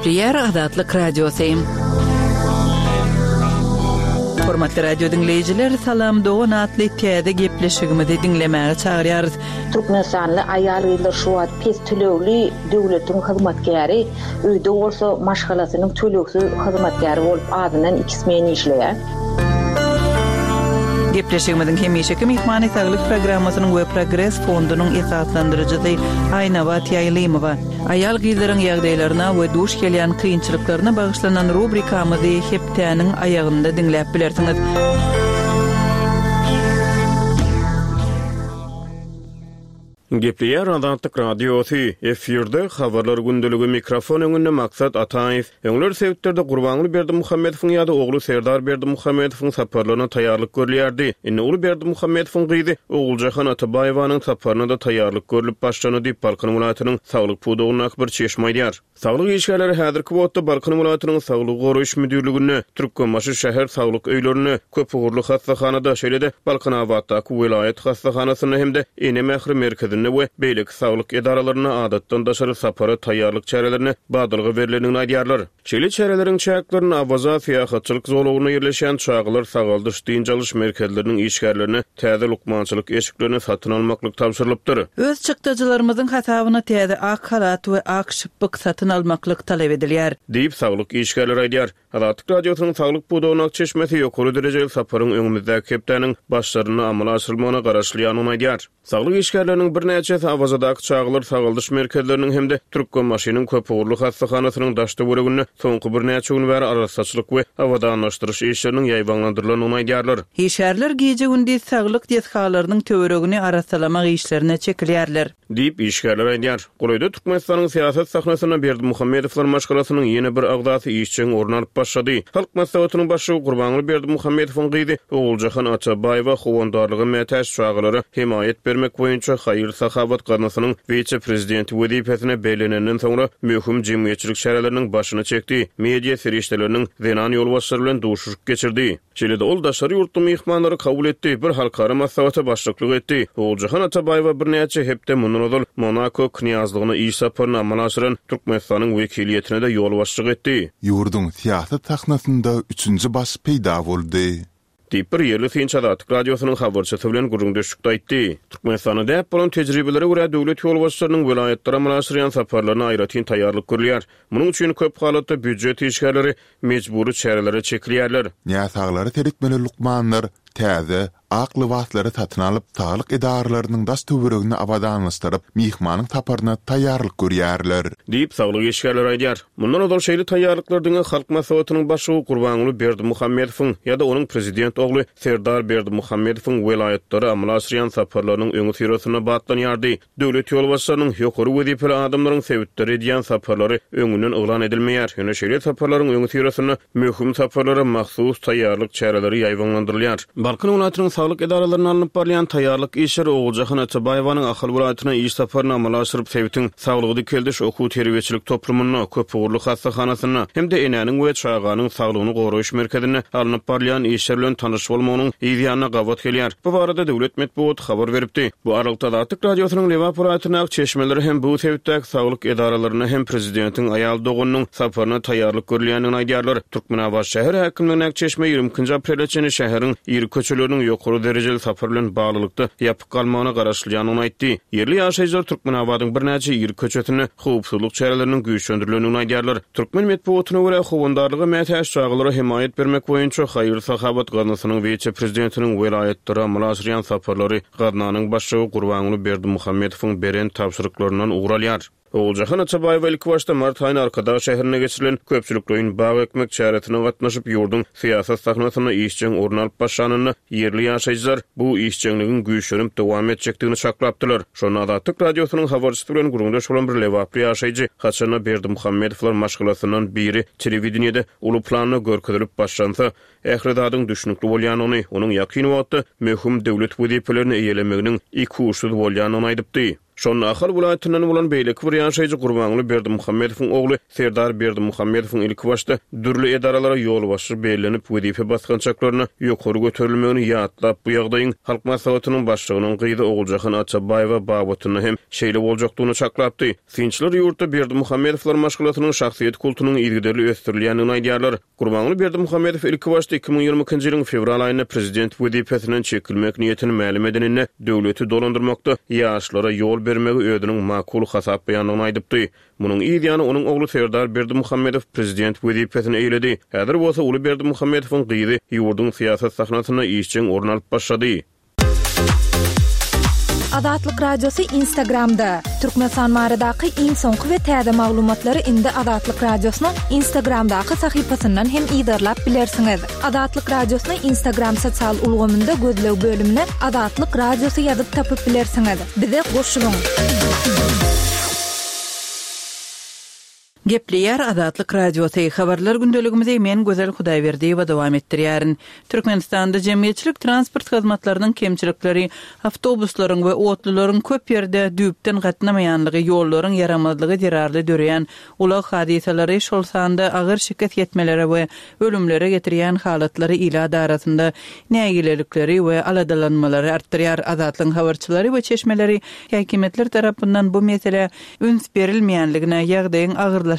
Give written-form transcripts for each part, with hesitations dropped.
Gepleýär Azatlyk Radiosy. Hormatly radio diňleýjiler, Salam dogan atly täze gepleşigimizi diňlemäge çagyrýarys. Türkmenistanly aýal-gyzlar şu wagt pes tölegli döwletiň hyzmatkäri, öýde bolsa maşgalasynyň tölegsiz hyzmatkäri bolup azyndan iki smen işleýär. Gepleşigimiziň hemişeki myhmany Saglyk programmasynyň we Progres fondunyň esaslandyryjysy Aýnabat Ýaýlymowa. Aýal-gyzlaryň ýagdaýlaryna we duş gelýän kynçylyklaryna bagyşlanan rubrikamyzy hepdäniň aýagynda diňläp bilersiňiz. Gepleýär Azatlyk Radiosy, Efirde Habarlar gündeligi, mikrofon öňünde Maksat Ataýew. Öňler sebitlerde Gurbanguly Berdimuhamedowyň ýa-da ogly Serdar Berdimuhamedowyň saparlaryna taýýarlyk görülýärdi. Indi uly Berdimuhamedowyň gyzy Oguljahan Atabaýewanyň saparyna-da taýýarlyk görlüp başlandy diýip, Balkan welaýatynyň saglyk pudagyndaky bir çeşme aýdýar. Saglyk işgärleri häzirki wagtda Balkan welaýatynyň Saglygy goraýyş müdirliginde, Türkmenbaşy şäher saglyk öýlerinde, köpugurly hassahanada, şeýle-de Balkanabatdaky welaýat hassahanasynda hem-de Ene mähri merkezinde we beýleki saglyk edaralarynda adatdan daşary sapara taýýarlyk çärelerine badalga berlendigini aýdýarlar. Şeýle çäreleriň çäklerinde Awaza syýahatçylyk zolagynda ýerleşýän çagalar sagaldyş-dynç alyş merkezleriniň işgärlerine täze lukmançylyk eşiklerini satyn almaklyk tabşyrylypdyr. Öz çykdajylarymyzyň hasabyna täze ak halat we ak şypbyk satyn almaklyk talap edilýär. Diýip, saglyk işgärleri aýdýar. Azatlyk Radiosynyň saglyk pudagyndaky çeşmesi ýokary derejeli saparyň öňümizdäki hepdäniň başlarynda amala aşyrylmagyna garaşylýandygyny aýdýar. Saglyk işgärleriniň birnäçesi Awazadaky çagalar sagaldyş merkezleriniň hem-de Türkmenbaşynyň köpugurly hassahanasynyň daş-töwereginde soňky birnäçe gün bäri arassaçylyk we abadanlaşdyryş işleriniň ýaýbaňlandyrylandygyny aýdýarlar. Işgärler gije-gündiz saglyk desgalarynyň töweregini arassalamak işlerine çekilýärler. Diýip, işgärler aýdýar. Golaýda Türkmenistanyň syýasat sahnasynda Berdimuhamedowlar maşgalasynyň ýene bir agzasy işjeň orun alyp başlady. Halk Maslahatynyň başlygy Gurbanguly Berdimuhamedowyň gyzy Oguljahan Atabaýewa howandarlyga mätäç çagalara hemaýat bermek boýunça haýyr-sahawat gaznasynyň wise-prezidenti wezipesine bellenenden soňra möhüm jemgyýetçilik çäreleriniň başyny çekdi, media serişdeleriniň zenan ýolbaşçylary bilen duşuşyk geçirdi. Şeýle-de ol daşary ýurtly myhmanlary kabul etdi, bir halkara maslahata başlyklyk etdi. Oguljahan Atabaýewa birnäçe hepde mundan ozal Monako Knýazlygyna iş saparyny amala aşyran Türkmenistanyň wekiliýetine-de ýolbaşçylyk etdi. Ýurduň syýasat sahnasynda üçünji baş peýda boldy. Diýip, bir ýerli synçy Azatlyk Radiosynyň habarçysy bilen gürrüňdeşlikde aýtdy. Türkmenistanda däp bolan tejribelere görä, döwlet ýolbaşçylarynyň welaýatlara amala aşyrýan saparlaryna aýratyn taýýarlyk görülýär. Munuň üçin köp halatda býujet işgärleri mejbury çärelere çekilýärler. Näsaglara seretmeli lukmanlar täze, ak lybaslary satyn alyp, saglyk edaralarynyň daş-töweregini abadanlaşdyryp, myhmanyň saparyna taýýarlyk görýärler. Diýip, saglyk işgärleri aýdýar. Mundan ozal şeýle taýýarlyklar diňe Halk Maslahatynyň başlygy Gurbanguly Berdimuhamedowyň ýa-da onuň prezident ogly Serdar Berdimuhamedowyň welaýatlara amala aşyrýan saparlarynyň öňüsyrasynda batlanýardy. Döwlet ýolbaşçylarynyň, ýokary wezipeli adamlaryň sebitlere edýän saparlary öňünden yglan edilmeýär. Ýöne şeýle saparlaryň öňüsyrasynda möhüm saparlara mahsus taýýarlyk çäreleri ýaýbaňlandyrylýar. Balkan welaýatynyň saglyk edaralarynda alnyp barylýan taýýarlyk işleri Oguljahan Atabaýewanyň Ahal welaýatyna iş saparyny amala aşyryp, sebitiň saglygy dikeldiş okuw-terbiýeçilik toplumynda, köpugurly hassahanasynda hem-de Enäniň we çaganyň saglygyny goraýyş merkezinde alnyp barylýan işler bilen tanyş bolmagynyň yz ýanyna gabat gelýär. Bu barada döwlet metbugaty habar beripdi. Bu aralykda Azatlyk Radiosynyň Lebap welaýatyndaky çeşmeleri hem bu sebitdäki saglyk edaralarynda hem prezidentiň aýal doganynyň saparyna taýýarlyk görülýändigini aýdýarlar. Türkmenabat şäher häkimligindäki çeşme 22-nji aprele çenli şäheriň iri köçeleriniň ýokary derejeli sapar bilen baglylykda ýapyk galmagyna garaşylýandygyny aýtdy. Ýerli ýaşaýjylar Türkmenabadyň birnäçe iri köçesinde howpsuzlyk çäreleriniň güýçlendirilendigini aýdýarlar. Türkmen metbugatyna görä, howandarlyga mätäç çagalara hemaýat bermek boýunça haýyr-sahawat gaznasynyň wise-prezidentiniň welaýatlara amala aşyrýan saparlary gaznanyň başlygy Gurbanguly Berdimuhamedowyň beren tabşyryklaryndan ugur alýar. Oguljahan Atabaýewa ilkibaşda mart aýynda Arkadag şäherinde geçirilen köpçülikleýin bag ekmek çäresine gatnaşyp, ýurduň syýasat sahnasynda işjeň orun alyp başlanynda ýerli ýaşaýjylar bu işjeňligiň güýçlenip dowam etjekdigini çaklapdylar. Şonda Azatlyk Radiosynyň habarçysy bilen gürrüňdeş bolan bir lebaply ýaşaýjy haçanda Berdimuhamedowlar maşgalasyndan biri telewideniýede uly planda görkezilip başlansa, ähli zadyň düşnükli bolýandygyny, onuň ýakyn wagtda möhüm döwlet wezipelerini eýelemeginiň ikuçsuz bolýandygyny aýdypdy. Şonda Ahal welaýatyndan bolan beýleki bir ýaşaýjy Gurbanguly Berdimuhamedowyň ogly Serdar Berdimuhamedowyň ilkibaşda dürli edaralara ýolbaşçy bellenip, wezipe basgançaklaryna ýokary göterilmegini ýatlap, bu ýagdaýyň Halk Maslahatynyň Başlygynyň gyzy Oguljahan Atabaýewa babatynda hem şeýle boljakdygyny çaklapdy. Synçylar ýurtda Berdimuhamedowlar maşgalasynyň şahsyýet kultunyň yzygiderli ösdürilýändigini aýdýarlar. Gurbanguly Berdimuhamedow ilkibaşda 2022-nji ýylyň fewral aýynda prezident wezipesinden çekilmek niýetini mälim edeninde, döwleti dolandyrmakda ýaşlara ýol bermegi özüniň makul hasaplaýandygyny aýdypdy. Munuň yz ýany onuň ogly Serdar Berdimuhamedow prezident wezipesini eýeledi. Häzir bolsa uly Berdimuhamedowyň gyzy ýurduň syýasat sahnasynda işjeň orun alyp başlady. Azatlyk Radiosy Instagramda, Türkmenistan baradaky iň soňky we täze maglumatlary indi Azatlyk Radiosynyň Instagramdaky sahypasyndan hem yzarlap bilersiňiz. Azatlyk Radiosyny Instagram sosial ulgamynda gözleg bölümine Azatlyk Radiosy ýazyp tapyp bilersiňiz. Bize goşulyň! Gepleýär Azatlyk Radiosy, Habarlar gündeligimizi men Gözel Hudaýberdiýewa dowam etdirýärin. Türkmenistanda jemgyýetçilik transport hyzmatlarynyň kemçilikleri, awtobuslaryň we otlularyň köp ýerde düýpden gatnamaýanlygy, ýollaryň ýaramazlygy zerarly döreýän ulag hadysalary, şol sanda agyr şikes ýetmelere we ölümlere getirýän halatlary ilat arasynda nägilelikleri we aladalanmalary artdyrýar. Azatlygyň habarçylary we çeşmeleri häkimiýetler tarapyndan bu meselä üns berilmeýänligine, ýagdaýyň agyrlaşýanlygyna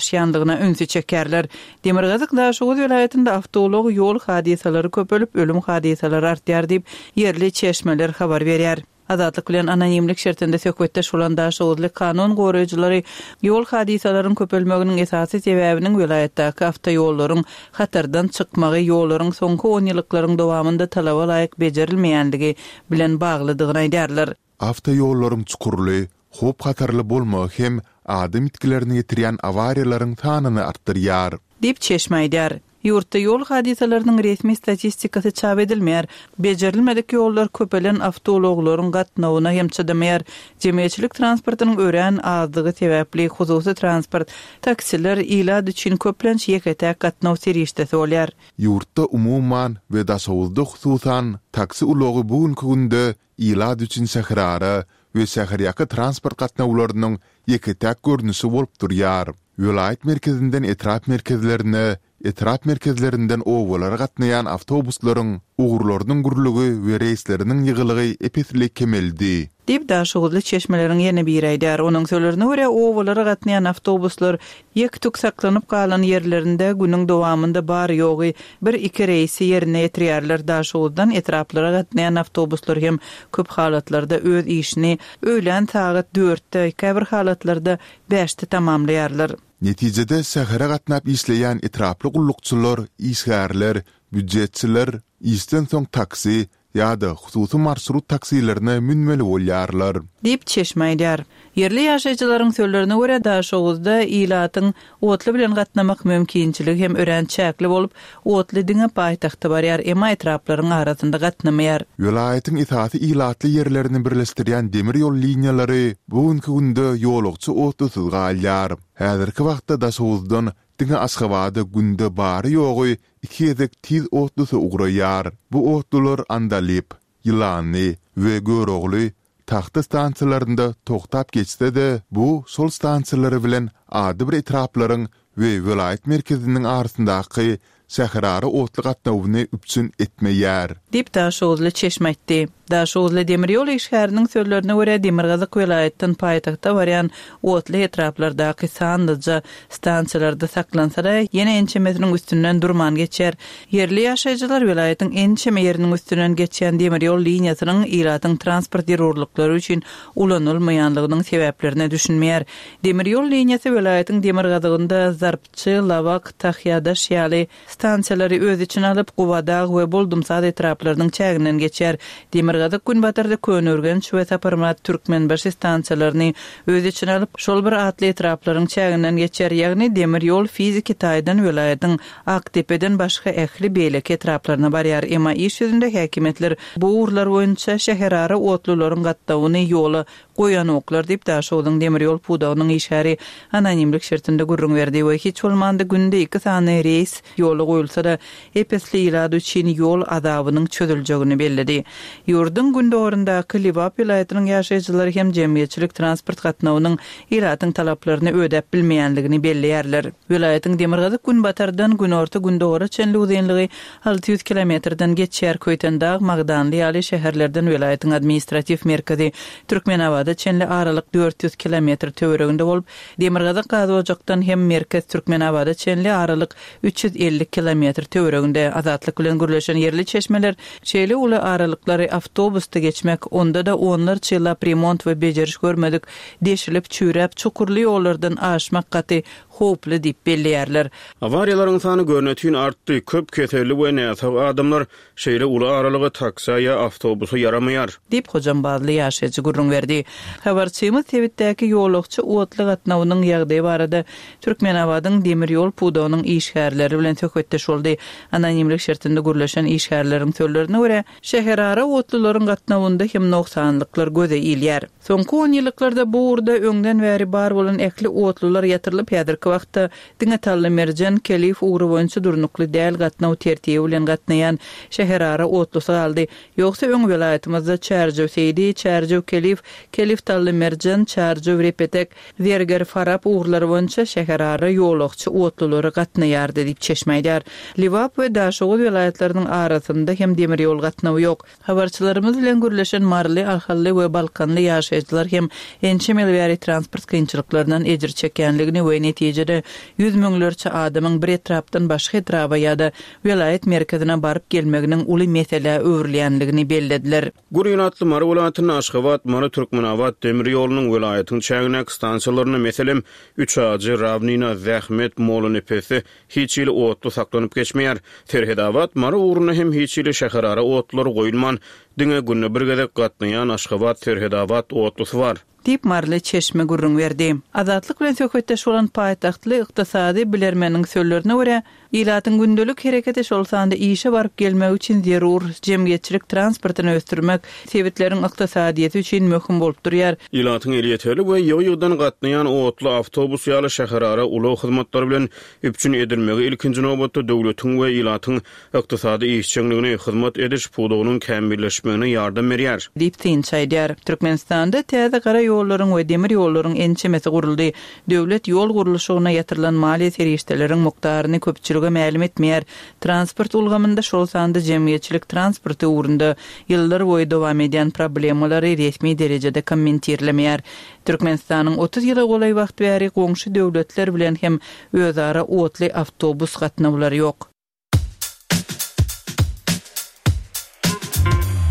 ünsi çekýärler. Demirgazyk Daşoguz welaýatynda awtoulag ýol hadysalary köpelip, ölüm hadysalary artýar diýip, ýerli çeşmeler habar berýär. Azatlyk bilen anonimlik şertinde söhbetdeş bolan daşoguzly kanun goraýjylary ýol hadysalaryň köpelmeginiň esasy sebäbiniň welaýatdaky awtoýollaryň hatardan çykmagy, ýollaryň soňky onýyllyklaryň dowamynda talaba laýyk bejerilmeýänligi bilen baglydygyny aýdýarlar. Awtoýollaryň çukurly, howp-hatarly bolmagy hem adam ýitgilerini getirýän awariýalaryň sanyny artdyrýar. Diýip, çeşme aýdýar. Ýurtda ýol hadysalarynyň resmi statistikasy çap edilmeýär. Bejerilmedik ýollar köpelen awtoulaglaryň gatnawyna hem çydamaýar. Jemgyýetçilik transportynyň örän azdygy sebäpli, hususy transport, taksiler ilat üçin köplenç ýeke-täk gatnaw serişdesi bolýar. Ýurtda umuman we Daşoguzda hususan, taksi ulagy bu günki günde ilat üçin şäherara we şäherýaka transport gatnawlarynyň ýeke-täk görnüşi bolup durýar. Welaýat merkezinden etrap merkezlerine, etrap merkezlerinden obalara gatnaýan awtobuslaryň ugurlarynyň gürlügi we reýsleriniň ýygylygy ep-esli kemeldi. Diýip, daşoguzly çeşmeleriň ýene biri aýdýar. Onuň sözlerine görä, obalara gatnaýan awtobuslar ýek-tük saklanyp galan ýerlerinde günüň dowamynda bary-ýogy bir-iki reýsi ýerine ýetirýärler. Daşoguzdan etraplara gatnaýan awtobuslar hem köp halatlarda öz işini öýlän sagat dörtde, käbir halatlarda bäşde tamamlaýarlar. Netijede şähere gatnap işleýän etraply gullukçylar, işgärler, býujetçiler işden soň taksi ýa-da hususy marşrut taksilerine münmeli bolýarlar. Diýip, çeşme aýdýar. Ýerli ýaşaýjylaryň sözlerine görä, Daşoguzda ilatyň otly bilen gatnamak mümkinçiligi hem örän çäkli bolup, otly diňe paýtagta barýar, emma etraplaryň arasynda gatnamaýar. Welaýatyň esasy ilatly ýerlerini birleşdirýän demir ýol liniýalary bu günki günde ýolagçy otlusyz galýar. Häzirki wagtda Daşoguzdan diňe Aşgabada günde bary-ýogy iki gezek tiz otlusy ugraýar. Bu otlular Andalyp, Ýylanly we Görogly, Tagta stansiýalarynda togtap geçse-de, bu şol stansiýalary bilen adybir etraplaryň we welaýat merkeziniň arasyndaky şäherara otly gatnawyny üpjün etmeýär. Diýip, daşoguzly çeşme aýtdy. Daşoguzly demir ýol işgäriniň sözlerine görä, demirgazyk welaýatdan paýtagta barýan otly etraplardaky sanlyja stansiýalarda saklansa-da, ýene ençemesiniň üstünden durman geçýär. Ýerli ýaşaýjylar welaýatyň ençeme ýeriniň üstünden geçýän demir ýol liniýasynyň ilatyň transport zerurlyklary üçin ulanylmaýanlygynyň sebäplerine düşünmeýär. Demir ýol liniýasy welaýatyň demirgazygynda Zarpçy, Lawak, Tahýadaş ýaly Stansiýalary öz içine alyp, Gubadag we Boldumsaz etraplarynyň çäginden geçýär. Demirgazyk-günbatarda Köneürgenç we Saparmyrat Türkmenbaşy stansiýalaryny öz içine alyp, şol bir atly etraplaryň çäginden geçýär, ýagny demir ýol fiziki taýdan welaýatyň Akdepeden başga ähli beýleki etraplaryna barýar. Emma iş ýüzünde häkimiýetler bu ugurlar boýunça şäherara otlularyň gatnawyny ýola. Goýanoklar diýip, Daşogzuň demir ýol pudagynyň işgäri anonimlik şertinde gürrüň berdi we hiç bolmanda günde iki sany reýs ýola goýulsa-da, ep-esli ilat üçin ýol azabynyň çözüljegini belledi. Ýurduň gündogaryndaky Lebap welaýatynyň ýaşaýjylary hem jemgyýetçilik transport gatnawynyň ilatyň talaplaryny ödäp bilmeýänligini belleýärler. Welaýatyň demirgazyk-günbatardan günorta-gündogara çenli uzynlygy 600 kilometrden geçýär. Köýtendag, Magdanly ýaly şäherlerden welaýatyň administratiw merkezi Türkmenabada çenli aralyk 400 kilometr töwereginde bolup, demirgazyk Gazojakdan hem merkez Türkmenabada çenli aralyk 350 kilometr töwereginde. Azatlyk bilen gürleşen ýerli çeşmeler şeýle uly aralyklary awtobusda geçmek, onda-da onlarça ýyllap remont we bejeriş görmedik, deşilip, çüýräp, çukurly ýollardan aşmak gaty howply diýip belleýärler. Awariýalaryň sany görnetin artdy, köp keselli we näsag adamlar şeýle uly aralyga taksä ýa awtobusa ýaramaýar. Diýip, hojambazly ýaşaýjy gürrüň berdi. Habarçymyz sebitdäki ýolagçy otly gatnawynyň ýagdaýy barada Türkmenabadyň demir ýol pudagynyň işgärleri bilen söhbetdeş boldy. Anonimlik şertinde gürleşen işgärleriň sözlerine görä, şäherara otlularyň gatnawynda hem nogsanlyklar göze ilýär. Soňky onýyllyklarda bu ugurda öňden bäri bar bolan ähli otlular ýatyrylyp, häzirki wagtda diňe Tallymerjen, Kelif ugry boýunça durnukly däl gatnaw tertibi bilen gatnaýan şäherara otlusy galdy. Ýogsa öň welaýatymyzda Çärjew-Seýdi, Çärjew-Kelif, Kelif-Tallymerjen, Çärjew-Repetek, Zerger-Farap ugurlary boýunça şäherara ýolagçy otlulary gatnaýardy diýip çeşme aýdýar. Lebap we Daşoguz welaýatlarynyň arasynda hem demir ýol gatnawy ýok. Habarçylarymyz bilen gürleşen maryly, ahally we balkanly ýaşaýjylar hem ençeme ýyl bäri transport kynçylyklaryndan ejir çekýänligini we netijede ýüz müňlerçe adamyň bir etrapdan başga etraba ýa-da welaýat merkezine baryp gelmeginiň uly meselä öwrülýänligini bellediler. Gür ilatly Mary welaýatynda Aşgabat, Mary, Türkmenabat demir ýolunyň welaýatyň çägindäki stansiýalarynda, meselem, Üçajy, Rawnina, Zähmet, Mollanepesde Hiç hili otly saklanyp geçmeýär. Serhedabat, Mary ugrunda hem hiç hili şäherara otlulary goýulman, diňe günde bir gezek gatnaýan Aşgabat, Serhedabat otlusy bar. Diýip, maryly çeşme gürrüň berdi. Azatlyk bilen söhbetdeş bolan paýtagtly ykdysady bilermeniň sözlerine görä, ilatyň gündelik hereketi, şol sanda işe baryp gelmegi üçin zerur jemgyýetçilik transportyny ösdürmek sebitleriň ykdysadyýeti üçin möhüm bolup durýar. Ilatyň elýeterli we ýygy-ýygydan gatnaýan otly, awtobus ýaly şäherara ulag hyzmatlary bilen üpjün edilmegi ilkinji nobatda döwletiň we ilatyň ykdysady işjeňligini, hyzmat ediş pudagynyň kämilleşmegine ýardam berýär. Diýip, synçy aýdýar. Türkmenistanda täze gara ýollaryň we demir ýollaryň ençemesi guruldy. Döwlet ýol gurluşygyna ýatyrylan maliýe serişdeleriň mukdaryny köpçülige mälim etmeýär. Transport ulgamynda, şol sanda jemgyýetçilik transporty ugrunda ýyllar boýy dowam edýän problemalary resmi derejede kommentirlemeýär. Türkmenistanyň 30 ýyla golaý wagt bäri goňşy döwletler bilen hem özara otly awtobus gatnawlary ýok.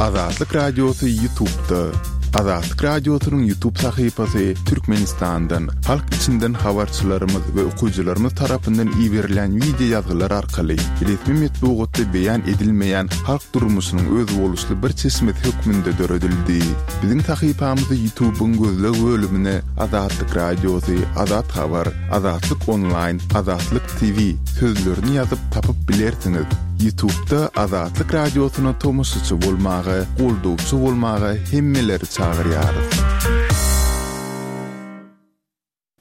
Azatlyk Radiosy Ýutubda. Azatlyk Radiosynyň Ýutub sahypasy Türkmenistandan, halk içinden habarçylarymyz we okyjylarymyz tarapyndan iberilen wideo ýazgylar arkaly resmi metbugatda beýan edilmeýän halk durmuşynyň özboluşly bir çeşmesi hökmünde döredildi. Biziň sahypamyzy Ýutubyň gözleg bölümine Azatlyk Radiosy, Azat Habar, Azatlyk Onlaýn, Azatlyk TV sözlerini ýazyp tapyp bilersiňiz. Ýutubda Azatlyk Radiosyna tomaşaçy bolmaga, goldawçy bolmaga hemmeleri çagyrýarys.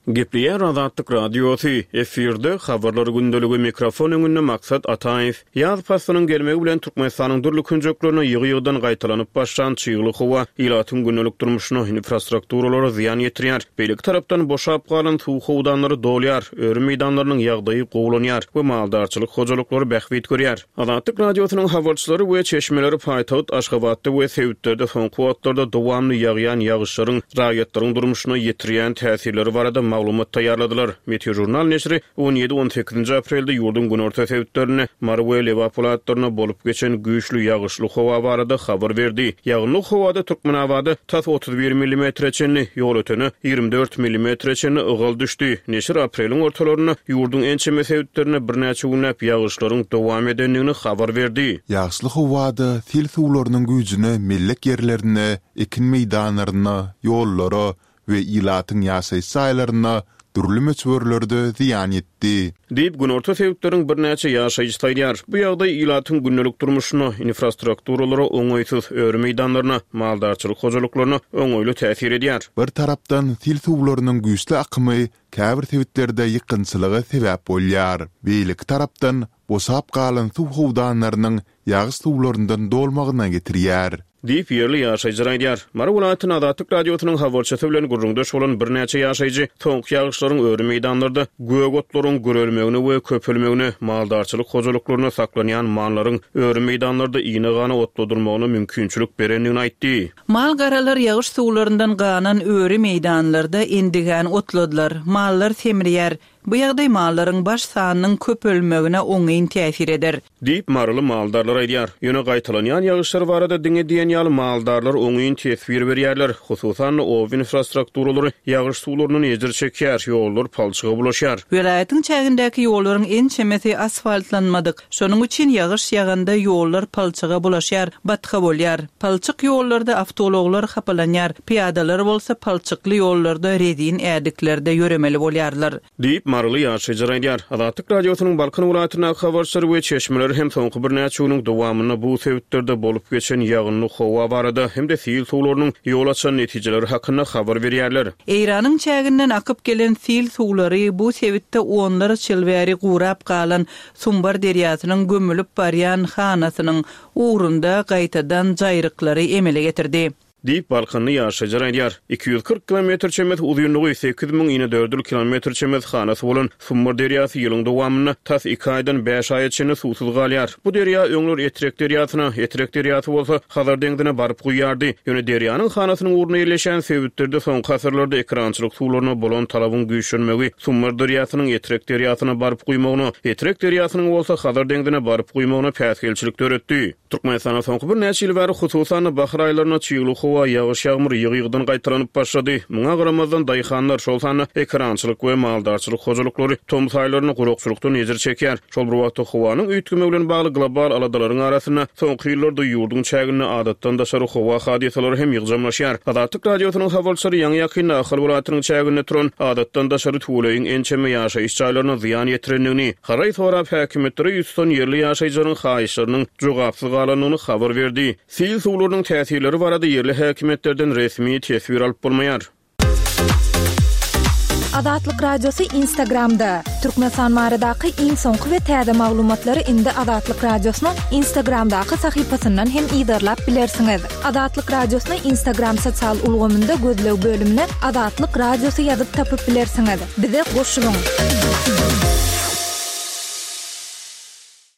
Gepleýär Azatlyk Radiosy, efirde, Habarlar gündeligi, mikrofon öňünde Maksat Ataýew. Ýaz paslynyň gelmegi bilen Türkmenistanyň dürli künjeklerinde ýygy-ýygydan gaýtalanyp başlan çygly howa ilatyň gündelik durmuşyna, infrastrukturalara zyýan ýetirýär. Beýleki tarapdan, boşap galan suw howdanlary dolýar, öri meýdanlarynyň ýagdaýy gowulanýar we maldarçylyk hojalyklary bähbit görýär. Azatlyk Radiosynyň habarçylary we çeşmeleri paýtagt Aşgabatda we sebitlerde soňky wagtlarda dowamly ýagýan ýagyşlaryň raýatlaryň durmuşyna ýetirýän täsirleri barada maglumat taýýarladylar. Meteožurnal neşiri on ýedi-on sekizinji aprelde ýurduň günorta sebitlerinde, Mary we Lebap welaýatlarynda bolup geçen güýçli ýagyşly howa barada habar berdi. Ýagynly howada Türkmenabada tas 31 millimetre çenli, Ýolötene 24 millimetre çenli ygal düşdi. Neşir apreliň ortalarynda ýurduň ençeme sebitlerinde birnäçe günläp ýagyşlaryň dowam edendigini habar berdi. Ýagyşly howada sil suwlarynyň güýjüne mellek ýerlerine, ekin meýdanlaryna, ýollara we ilatyň ýaşaýyş jaýlaryna dürli möçberlerde zyýan ýetdi. Diýip, günorta sebitleriň birnäçe ýaşaýjysy aýdýar. Bu ýagdaý ilatyň gündelik durmuşyna, infrastrukturalara oňaýsyz, öri meýdanlaryna, maldarçylyk hojalyklaryna oňaýly täsir edýär. Bir tarapdan, sil suwlarynyň güýçli akymy käbir sebitlerde ýykgynçylyga sebäp bolýar. Beýleki tarapdan, boşap galan suw howdanlarynyň ýagyş suwlaryndan dolmagyna getirýär. Diýip, ýerli ýaşaýjylar aýdýar. Mary welaýatynda Azatlyk Radiosynyň habarçysy bilen gürrüňdeş bolan birnäçe ýaşaýjy soňky ýagyşlaryň öri meýdanlarda gök otlaryň gürelmegine we köpelmegine, maldarçylyk hojalyklarynda saklanýan mallaryň öri meýdanlarda ine-gana otladylmagyna mümkinçilik berendigini aýtdy. Mal-garalar ýagyş suwlaryndan ganan öri meýdanlarda endigan otladylar. Mallar semreýär. Bu ýagdaý mallaryň baş sanynyň köpelmegine oňyn täsir eder. Diýip, maryly maldarlar aýdýar. Ýöne gaýtalanýan ýagyşlar barada diňe diýen ýaly maldarlar oňyn teswir berýärler. Hususan-da, oba infrastrukturalary ýagyş suwlaryndan ejir çekýär, ýollar palçyga bulaşýar. Welaýatyň çägindäki ýollaryň ençemesi asfaltlanmadyk. Şonuň üçin ýagyş ýaganda ýollar palçyga bulaşýar, batga bolýar. Palçyk ýollarda awtoulaglar hapalanýar, pyýadalar bolsa palçykly ýollarda rezin ädiklerde ýöremeli bolýarlar. Diýip, maryly ýaşaýjylar aýdýar. Azatlyk Radiosynyň Balkan welaýatyndaky habarçylary we çeşmeleri hem soňky birnäçe günüň dowamynda bu sebitlerde bolup geçen ýagynly howa barada hem-de sil suwlarynyň ýol açan netijeleri hakynda habar berýärler. Eýranyň çäginden akyp gelen sil suwlary bu sebitde onlarça ýyl bäri gurap galan Sumbar derýasynyň gömülip barýan hanasynyň ugrunda gaýtadan jaýryklary emele getirdi. Diýip, balkanly ýaşaýjylar aýdýar. 240 kilometr çemesi uzynlygy, 8000 inedördül kilometr çemesi hanasy bolan Sumbar derýasy ýylyň dowamynda tas iki aýdan bäş aýa çenli suwsuz galýar. Bu derýa öňler Etrek derýasyna, Etrek derýasy bolsa Hazar deňzine baryp guýýardy. Ýöne derýanyň hanasynyň ugrunda ýerleşen sebitlerde soňky asyrlarda ekerançylyk suwlaryna bolan talabyň güýçlenmegi Sumbar derýasynyň Etrek derýasyna baryp guýmagyna, Etrek derýasynyň bolsa Hazar deňzine baryp guýmagyna päsgelçilik döretdi. Türkmenistanda soňky birnäçe ýyl bäri, hususan-da, bahar aýlarynda çygly howa, ýagyş-ýagmyr ýygy-ýygydan gaýtalanyp başlady. Muňa garamazdan, daýhanlar, şol sanda ekerançylyk we maldarçylyk hojalyklary tomus aýlarynda gurakçylykdan ejir çekýär. Şol bir wagtda, howanyň üýtgemegi bilen bagly global aladalaryň arasynda, soňky ýyllarda ýurduň çäginde adatdan daşary howa hadysalary hem ýygjamlaşýar. Azatlyk Radiosynyň habarçylary ýaňy-ýakynda Ahal welaýatynyň çäginde turan adatdan daşary tüweleýiň ençeme ýaşaýyş jaýlaryna zyýan ýetirendigini, Haraý sorap häkimiýetlere ýüz tutan ýerli ýaşaýjylaryň haýyşlarynyň jogapsyz galandygyny habar berdi. Sil suwlarynyň täsirleri barada ýerli häkimiýetlerden resmi teswir alyp bolmaýar. Azatlyk Radiosy Instagramda, Türkmenistan baradaky iň soňky we täze maglumatlary indi Azatlyk Radiosynyň Instagramdaky sahypasyndan hem yzarlap bilersiňiz. Azatlyk Radiosyny Instagram sosial ulgamynda gözleg bölümine Azatlyk Radiosy ýazyp tapyp bilersiňiz. Bize goşulyň!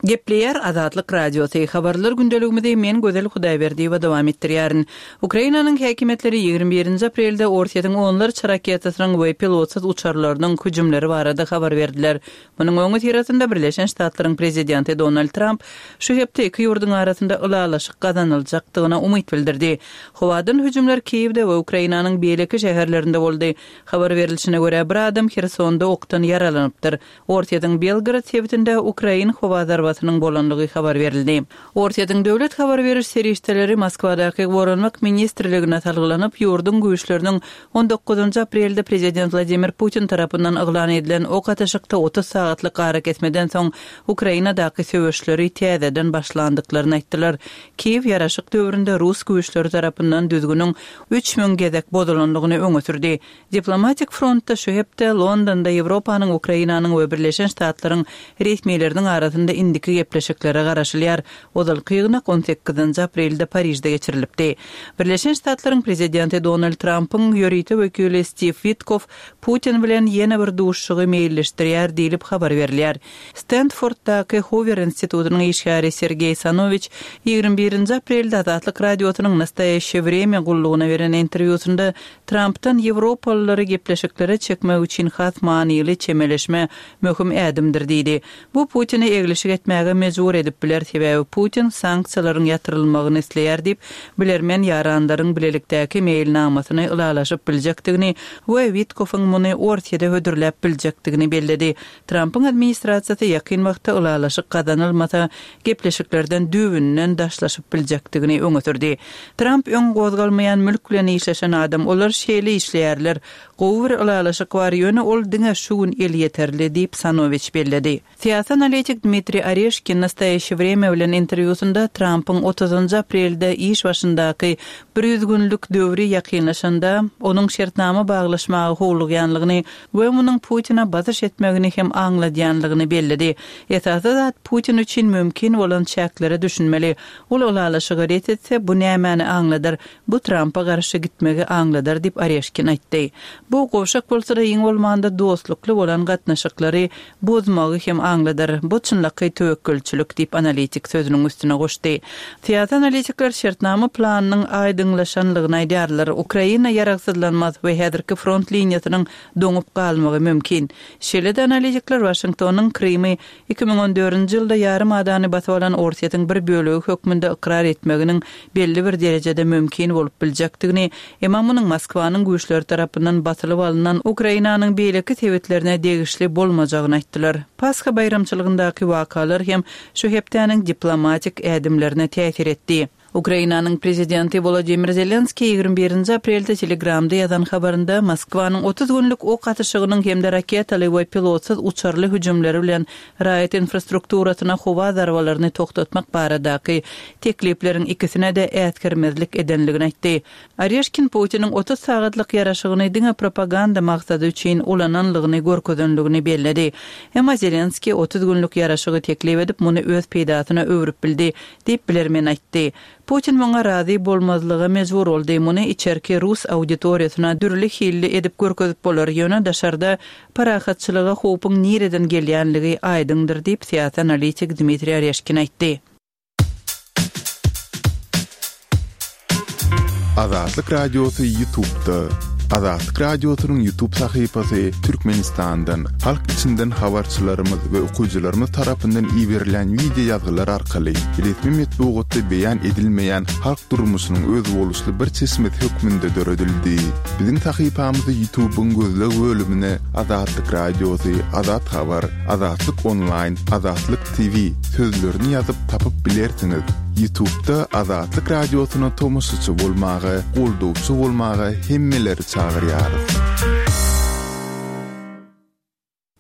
Gepleýär Azatlyk Radiosy, Habarlar gündeligimizi men Gözel Hudaýberdiýewa dowam etdirýärin. Ukrainanyň häkimiýetleri 21-nji aprelde Orsýetiň onlarça raketasynyň we pilotsyz uçarlarynyň hüjümleri barada habar berdiler. Munuň öňüsyrasynda Birleşen Ştatlaryň prezidenti Donald Tramp şu hepde iki ýurduň arasynda ylalaşyk gazanyljakdygyna umyt bildirdi. Howadan hüjümler Kiýewde we Ukrainanyň beýleki şäherlerinde boldy. Habar berlişine görä, bir adam Hersonda okdan ýaralanypdyr. Orsýetiň Belgorod sebitinde ukrain howa zarbasynyň bolandygy habar berildi. Orsýetiň döwlet habar beriş serişdeleri Moskwadaky Goranmak ministrligine salgylanyp, ýurduň güýçleriniň on dokuzynjy aprelde prezident Wladimir Putin tarapyndan yglan edilen ok atyşykda 30 sagatlyk arakesmeden soň Ukrainadaky söweşleri täzeden başlandyklaryny aýtdylar. Kiýew ýaraşyk döwründe rus güýçleri tarapyndan düzgüniň 3000 gezek bozulandygyny öňe sürdi. Diplomatik frontda şu hepde Londonda Ýewropanyň, Ukrainanyň we Birleşen Ştatlaryň resmileriniň arasynda indiki gepleşiklere garaşylýar. Ozalky ýygnak on sekizinji aprelde Parižde geçirilipdi. Birleşen Ştatlaryň prezidenti Donald Trampyň ýörite wekili Stiw Witkoff Putin bilen ýene bir duşuşygy meýilleşdirýär diýlip habar berilýär. Stendforddaky Huwer institutynyň işgäri Sergeý Sanowiç 21-nji aprelde Azatlyk Radiosynyň Nastoýaşçe Wremýa gullugyna beren interwýusynda Trampdan ýewropalylary gepleşiklere çekmek üçin has manyly çemeleşme möhüm ädimdir diýdi. Bu Putine eglişik etmäge. etmäge mejbur edip biler, sebäbi Putin sanksiýalaryň ýatyrylmagyny isleýär diýip, bilermen ýaranlaryň bilelikdäki meýilnamasyny ylalaşyp biljekdigini we Witkoffyň muny Orsýede hödürläp biljekdigini belledi. Trampyň administrasiýasy ýakyn wagtda ylalaşyk gazanylmasa, gepleşiklerden düýbünden daşlaşyp biljekdigini öňe sürdi. Tramp öň gozgalmaýan mülk bilen işleşen adam, olar şeýle işleýärler. Gowy bir ylalaşyk bar, ýöne ol diňe şu gün elýeterli, diýip, Sanowiç belledi. Syýasy analitik Dmitriý Oreşkin Nastoýaşçe Wremýa bilen interwýusynda Trampyň otuzynjy aprelde iş başyndaky 100 günlük döwri ýakynlaşanda, onuň şertnama baglaşmaga howlugýanlygyny we munuň Putine basyş etmegini hem aňladýanlygyny belledi. Esasy zat, Putin üçin mümkin bolan çäklere düşünmeli. Ol ylalaşygy ret etse, bu nämäni aňladar? Bu Trampa garşy gitmegi aňladar diýip, Oreşkin aýtdy. Bu, gowşak bolsa-da, iň bolmanda dostlukly bolan gatnaşyklary bozmagy hem aňladar. Bu çynlakaý töwekgelçilik diýip, analitik sözüniň üstüne goşdy. Syýasy analitikler şertnama planynyň aýdyňlaşanlygyny aýdýarlar. Ukraina ýaragsyzlanmaz we häzirki front liniýasynyň doňup galmagy mümkin. Şeýle-de analitikler Waşingtonyň Krymy 2014-nji ýylda ýarym adany basyp alan Orsýetiň bir bölegi hökmünde ykrar etmeginiň belli bir derejede mümkin bolup biljekdigini, emma munuň Moskwanyň güýçleri tarapyndan basylyp alnan Ukrainanyň beýleki sebitlerine degişli bolmajagyny aýtdylar. Pasha baýramçylygyndaky wakalar hem şu hepdäniň diplomatik ädimlerine täsir etdi. Ukrainanyň prezidenti Wolodymyr Zelenskiý 21-nji aprelde Telegramda ýazan habarynda Moskwanyň 30 günlük ok atyşygynyň hem-de raketaly we pilotsyz uçarly hüjümleri bilen raýat infrastrukturasyna howa zarbalaryny togtatmak baradaky teklipleriň ikisine-de äsgermezlik edenligini aýtdy. Oreşkin Putiniň 30 sagatlyk ýaraşygyny diňe propaganda maksady üçin ulananlygyny görkezenligini belledi. Emma Zelenskiý 30 günlük ýaraşygy teklip edip, muny öz peýdasyna öwrüp bildi. Diýip, bilermen aýtdy. Putin muňa razy bolmazlyga mejbur boldy. Muny içerki rus auditoriýasyna dürli hilli edip görkezip bolar, ýöne daşarda parahatçylyga howpuň nireden gelýänligi aýdyňdyr diýip, syýasy analitik Dmitriý Oreşkin aýtdy. Azatlyk Radiosy Ýutubda. Azatlyk Radiosynyň Ýutub sahypasy Türkmenistandan, halk içinden habarçylarymyz we okyjylarymyz tarapyndan iberilýän wideo ýazgylar arkaly resmi metbugatda beýan edilmeýän halk durmuşynyň özboluşly bir çeşmesi hökmünde döredildi. Biziň sahypamyzy Ýutubyň gözleg bölümine Azatlyk Radiosy, Azat Habar, Azatlyk Onlaýn, Azatlyk TV sözlerini ýazyp tapyp bilersiňiz. Ýutubda Azatlyk Radiosyna tomaşaçy bolmaga, goldawçy bolmaga hemmeleri çagyrýarys.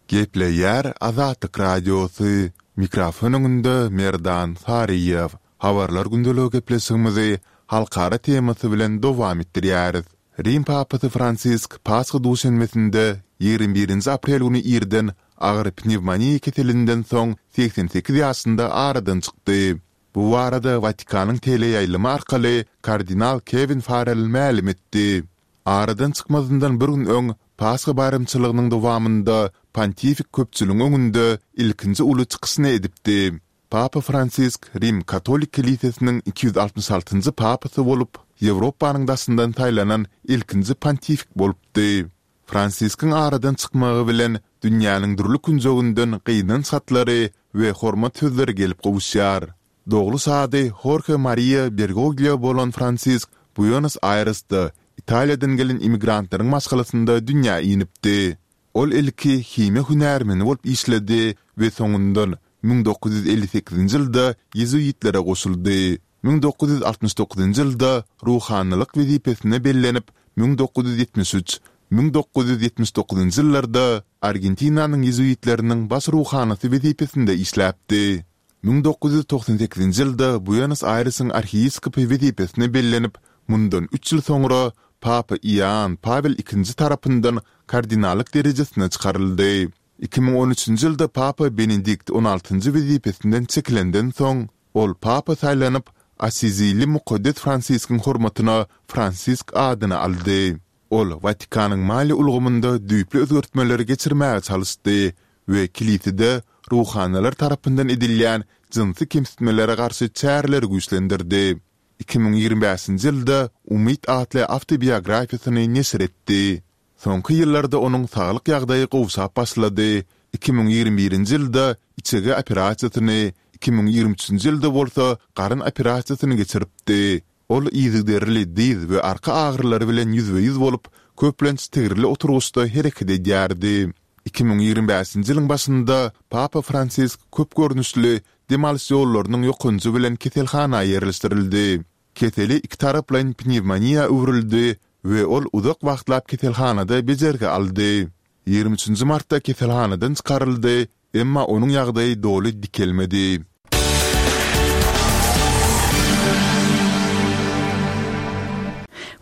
Gepleýär Azatlyk Radiosy, mikrofon öňünde Merdan Saryýew. Habarlar gündeligi gepleşigimizi halkara temasy bilen dowam etdirýäris. Rim papasy Fransisk Pasha duşenbesinde, 21-nji aprel güni irden agyr pnewmoniýa keselinden soň 88 ýaşynda aradan çykdy. Bu barada Watikanyň teleýaýlymy arkaly kardinal Kewin Farrell mälim etdi. Aradan çykmazyndan bir gün öň Pasha baýramçylygynyň dowamynda pontifik köpçüligiň öňünde ilkinji uly çykyşyny edipdi. Papa Fransisk Rim katolik kilisesiniň 266-njy papasy bolup, Ýewropanyň daşyndan saýlanan ilkinji pontifik bolupdy. Fransiskiň aradan çykmagy bilen dünýäniň dürli künjeginden gynanç hatlary we hormat sözleri gelip gowuşýar. Dogluş ady Horhe Mariýa Bergoglio bolan Fransisk Buenos-Aýresde, Italiýadan gelen immigrantlaryň maşgalasynda dünýä inipdi. Ol ilki himiýa hünärmeni bolup işledi we soňundan 1958-nji ýylda ýezuitlere goşuldy. 1969-njy ýylda ruhanylyk wezipesine bellenip, 1973, 1979-njy ýyllarda Argentinanyň ýezuitleriniň baş ruhanysy wezipesinde işläpdi. 1998-nji ýylda Buenos-Aýresiň arhiýepiskopy wezipesine bellenip, mundan üç ýyl soňra Papa Ioann Pawel II tarapyndan kardinallyk derejesine çykaryldy. 2013-nji ýylda Papa Benedikt on altynjy wezipesinden çekilenden soň, ol Papa saýlanyp, Assizili mukaddes Fransiskiň hormatyna Fransisk adyny aldy. Ol Watikanyň maliýe ulgamynda düýpli özgertmeleri geçirmäge çalyşdy we kilisede ruhanylar tarapyndan edilýän jynsy kemsitmelere garşy çäreleri güýçlendirdi. 2025-nji ýylda Umyt atly awtobiografiýasyny neşir etdi. Soňky ýyllarda onuň saglyk ýagdaýy gowşap başlady, 2021-nji ýylda içege operasiýasyny, 2023-nji ýylda bolsa garyn operasiýasyny geçiripdi. Ol yzygiderli dyz we arka agyrylary bilen ýüzbe-ýüz bolup, köplenç tigirli oturgyçda hereket edýärdi. 2025-nji ýylyň başynda Papa Fransisk köp görnüşli dem alyş ýollarynyň ýokanjy bilen keselhana ýerleşdirildi. Keseli ikitaraplaýyn pnewmoniýa öwrüldi we ol uzak wagtlap keselhanada bejergi aldy. 23-nji martda keselhanadan çykaryldy, emma onuň ýagdaýy doly dikelmedi.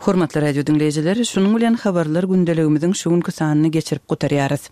Hormatly radio diňleýjiler, şunuň bilen habarlar gündeligimiziň şu günki sanyny geçirip gutarýarys.